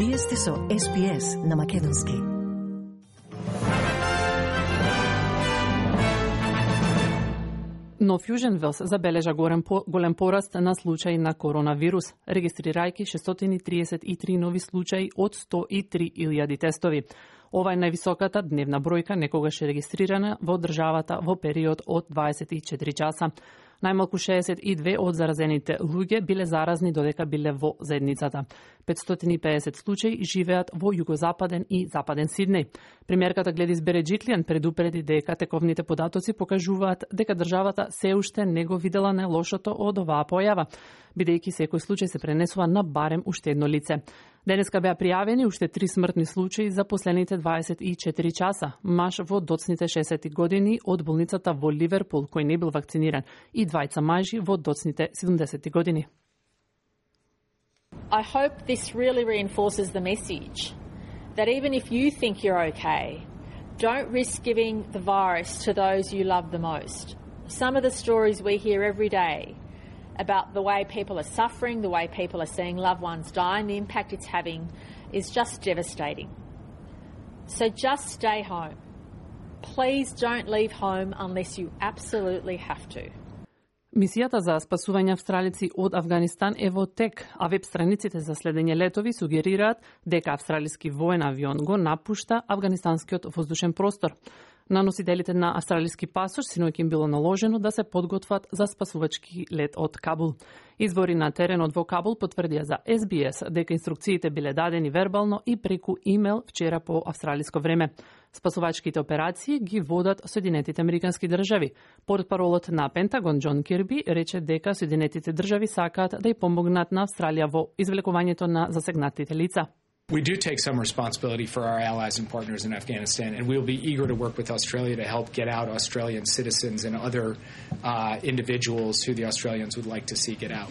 Вие сте со SPS на Македонски. Но Фјужен Велс забележа голем пораст на случаи на коронавирус, регистрирајќи 633 нови случаи од 103.000 тестови. Ова е највисоката дневна бројка некогаш регистрирана во државата во период од 24 часа. Најмалку 62 од заразените луѓе биле заразни додека биле во заедницата. 550 случаи живеат во југозападен и западен Сиднеј. Премиерката Гледис Береджиклијан предупреди дека тековните податоци покажуваат дека државата се уште не го видела најлошото од оваа појава, бидејќи секој случај се пренесува на барем уште едно лице. Денеска беа пријавени уште 3 смртни случаи за последните 24 часа. Маж во доцните 60 години од болницата во Ливерпул кој не бил вакциниран и двајца мажи во доцните 70 години. I hope this really reinforces the message that even if you think you're okay, don't risk giving the virus to those you love the most. Some of the stories we hear every day about the way people are suffering, the way people are seeing loved ones die, and the impact it's having is just devastating. So just stay home. Please don't leave home unless you absolutely have to. Мисијата за спасување австралици од Авганистан е во тек, а веб страниците за следење летови сугерираат дека австралиски воен авион го напушта афганистанскиот воздушен простор. На носителите на австралиски пасош синоќ им било наложено да се подготват за спасувачки лет од Кабул. Извори на теренот во Кабул потврдија за SBS дека инструкциите биле дадени вербално и преку имейл вчера по австралиско време. Спасувачките операции ги водат Соединетите Американски држави. Портпаролот на Пентагон Џон Кирби рече дека Соединетите држави сакаат да ја помогнат на Австралија во извлекувањето на засегнатите лица. We do take some responsibility for our allies and partners in Afghanistan, and we will be eager to work with Australia to help get out Australian citizens and other individuals who the Australians would like to see get out.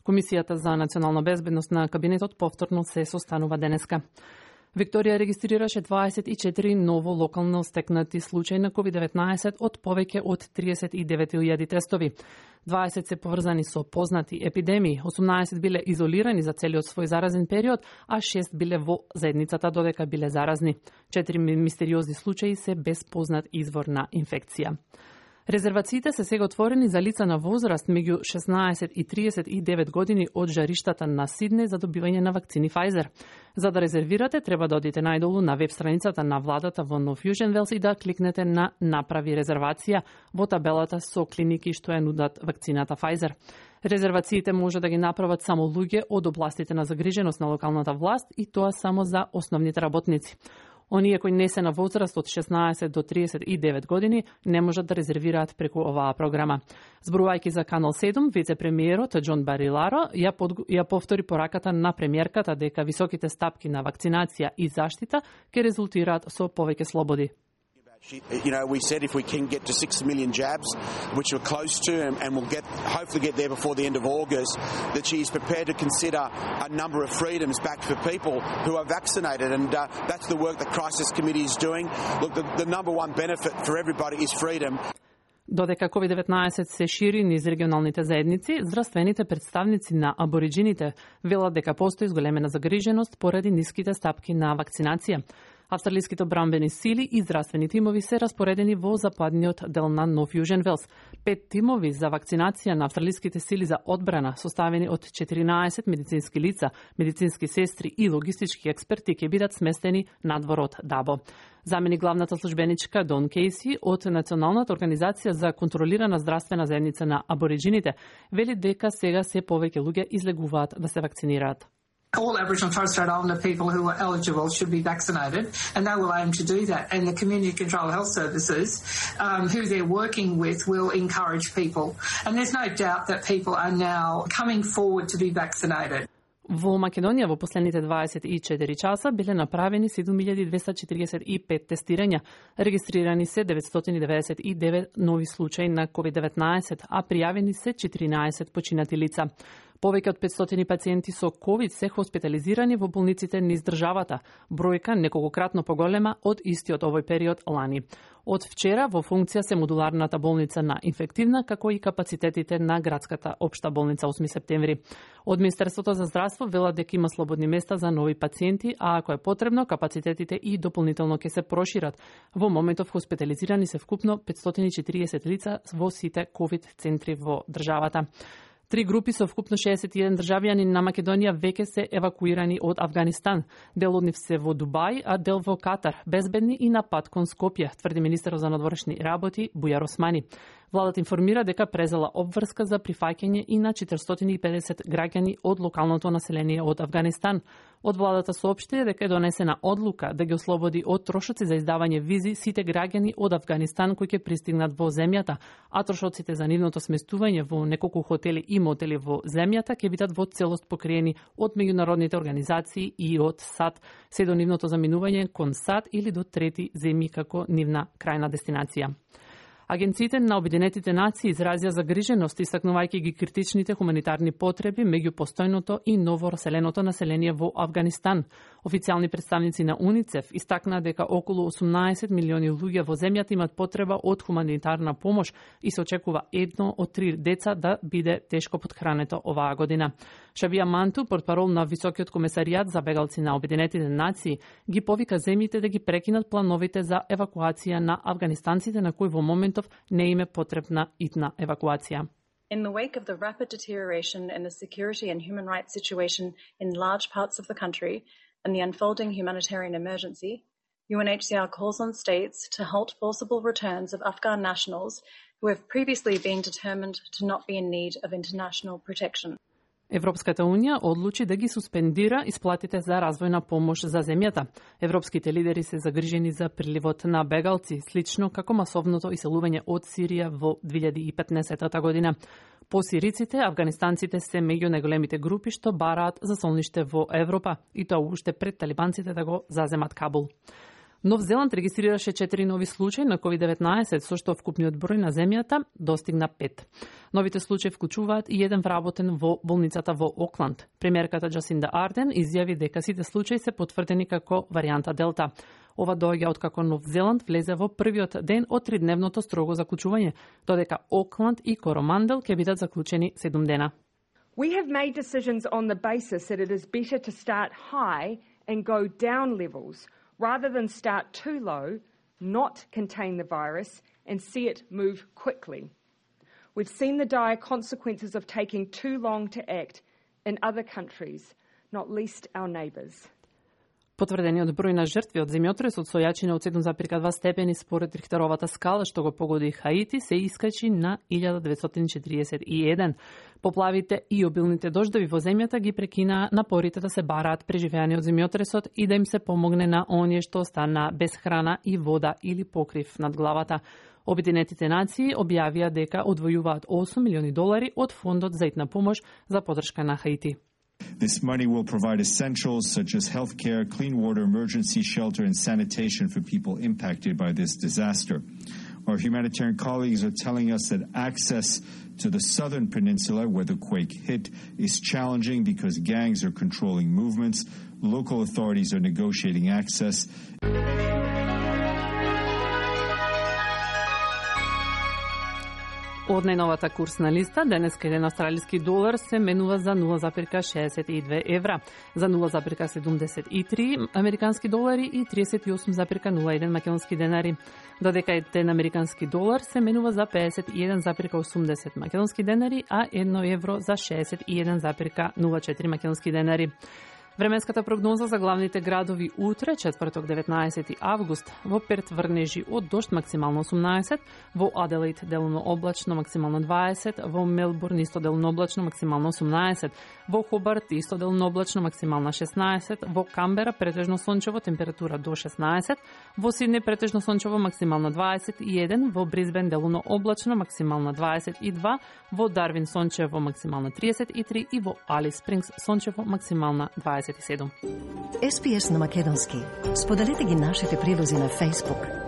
Комисијата за национална безбедност на кабинетот повторно се состанува денеска. Викторија регистрираше 24 ново локално стекнати случаи на COVID-19 од повеќе од 39.000 тестови. 20 се поврзани со познати епидемии, 18 биле изолирани за целиот свој заразен период, а 6 биле во заедницата додека биле заразни. 4 мистериозни случаи се без познат извор на инфекција. Резервациите се сега отворени за лица на возраст меѓу 16 и 39 години од жариштата на Сиднеј за добивање на вакцини Pfizer. За да резервирате, треба да одите најдолу на веб страницата на владата во No Fusion Wells и да кликнете на Направи резервација во табелата со клиники што ја нудат вакцината Pfizer. Резервациите може да ги направат само луѓе од областите на загриженост на локалната власт и тоа само за основните работници. Оние кои не се на возраст од 16 до 39 години не можат да резервираат преку оваа програма. Зборувајќи за Канал 7, вице-премиерот Џон Бариларо ја повтори пораката на премиерката дека високите стапки на вакцинација и заштита ќе резултираат со повеќе слободи. You know, we said if we can get to 6 million jabs, which we're close to, and we'll hopefully get there before the end of August, that she's prepared to consider a number of freedoms back for people who are vaccinated, and that's the work the Crisis Committee is doing. Look, the number one benefit for everybody is freedom. Додека COVID-19 се шири низ регионалните заедници, здравствените представници на абориджините велат дека постои зголемена загриженост поради ниските стапки на вакцинација. Австралиските одбранбени сили и здравствени тимови се распоредени во западниот дел на No Fusion Wells. 5 тимови за вакцинација на австралиските сили за одбрана, составени од 14 медицински лица, медицински сестри и логистички експерти ќе бидат сместени надвор од Дабо. Замени главната службеничка Дон Кейси од Националната организација за контролирана здравствена заедница на абориджините вели дека сега се повеќе луѓе излегуваат да се вакцинираат. All Aboriginal and Torres Strait Islander people who are eligible should be vaccinated, and they will aim to do that. And the Community Control Health Services, who they're working with, will encourage people. And there's no doubt that people are now coming forward to be vaccinated. Во Македонија во последните 24 часа биле направени 7245 тестирања, регистрирани се 999 нови случаи на COVID-19, а пријавени се 14 починати лица. Повеќе од 500 пациенти со COVID се хоспитализирани во болниците низ државата, бројка неколкократно поголема од истиот овој период лани. Од вчера во функција се модуларната болница на инфективна, како и капацитетите на градската општа болница 8 септември. Од Министерството за здравство велат дека има слободни места за нови пациенти, а ако е потребно, капацитетите и дополнително ќе се прошират. Во моментов хоспитализирани се вкупно 540 лица во сите COVID центри во државата. 3 групи со вкупно 61 државјани на Македонија веќе се евакуирани од Авганистан. Дел од нив се во Дубај, а дел во Катар, безбедни и на пат кон Скопје, тврди министерот за надворешни работи Бујар Османи. Владата информира дека презела обврска за прифаќање и на 450 граѓани од локалното население од Авганистан. Од владата соопшти дека е донесена одлука да ги ослободи од трошоци за издавање визи сите граѓани од Авганистан кои ќе пристигнат во земјата, а трошоците за нивното сместување во неколку хотели и мотели во земјата ќе бидат во целост покриени од меѓународните организации и од САД, се до нивното заминување кон САД или до трети земји како нивна крајна дестинација. Агенциите на Обединетите нации изразија загриженост, истакнувајќи ги критичните хуманитарни потреби меѓу постојното и новораселеното население во Авганистан. Официјални представници на УНИЦЕФ истакнаа дека околу 18 милиони луѓе во земјата имат потреба од хуманитарна помош и се очекува 1 од 3 деца да биде тешко потхрането оваа година. Шабија Манту, портпарол на Високиот комесаријат за бегалци на Обединетите нации, ги повика земјите да ги прекинат плановите за евакуација на афганистанците на кои во моментов не им е потребна итна евакуација. In the wake of the rapid deterioration in the security and human rights situation in large parts of the country and the unfolding humanitarian emergency, UNHCR calls on states to halt forcible returns of Afghan nationals who have previously been determined to not be in need of international protection. Европската Унија одлучи да ги суспендира исплатите за развојна помош за земјата. Европските лидери се загрижени за приливот на бегалци, слично како масовното иселување од Сирија во 2015 година. По сириците, афганистанците се меѓу најголемите групи што бараат за солниште во Европа, и тоа уште пред талибанците да го заземат Кабул. Нов Зеланд регистрираше 4 нови случаи на COVID-19, со што вкупниот број на земјата достигна 5. Новите случаи вклучуваат и еден вработен во болницата во Окланд. Премиерката Джасинда Арден изјави дека сите случаи се потврдени како варијанта Делта. Ова доаѓа откако Нов Зеланд влезе во првиот ден од 3-дневното строго заклучување, додека Окланд и Коромандел ќе бидат заклучени 7 дена. We have made decisions on the basis that it is better to start high and go down levels rather than start too low, not contain the virus, and see it move quickly. We've seen the dire consequences of taking too long to act in other countries, not least our neighbours. Потврдениот број на жртви од земјотресот со јачина од 7,2 степени според Рихтеровата скала што го погоди Хаити се искачи на 1941. Поплавите и обилните дождови во земјата ги прекинаа напорите да се бараат преживеани од земјотресот и да им се помогне на оние што останаа без храна и вода или покрив над главата. Обединетите нации објавија дека одвојуваат $8 милиони од фондот за итна помош за поддршка на Хаити. This money will provide essentials such as healthcare, clean water, emergency shelter, and sanitation for people impacted by this disaster. Our humanitarian colleagues are telling us that access to the southern peninsula where the quake hit is challenging because gangs are controlling movements. Local authorities are negotiating access. Од најновата курсна листа, денеска еден австралиски долар се менува за 0,62 евра, за 0,73 американски долари и 38,01 македонски денари, додека еден американски долар се менува за 51,80 македонски денари, а 1 евро за 61,04 македонски денари. Временската прогноза за главните градови утре, четврток 19 август, во Перт врнежи од дожд максимално 18, во Аделаид делно облачно максимално 20, во Мелбурн исто делно облачно максимално 18, во Хобарт исто делно облачно максимално 16, во Камбера претежно сончево температура до 16, во Сиднеј претежно сончево максимално 21, во Брисбен делно облачно максимално 22, во Дарвин сончево максимално 33 и во Алис Спрингс сончево максимално 27. SPS на македонски. Споделете ги нашите прилози на Facebook,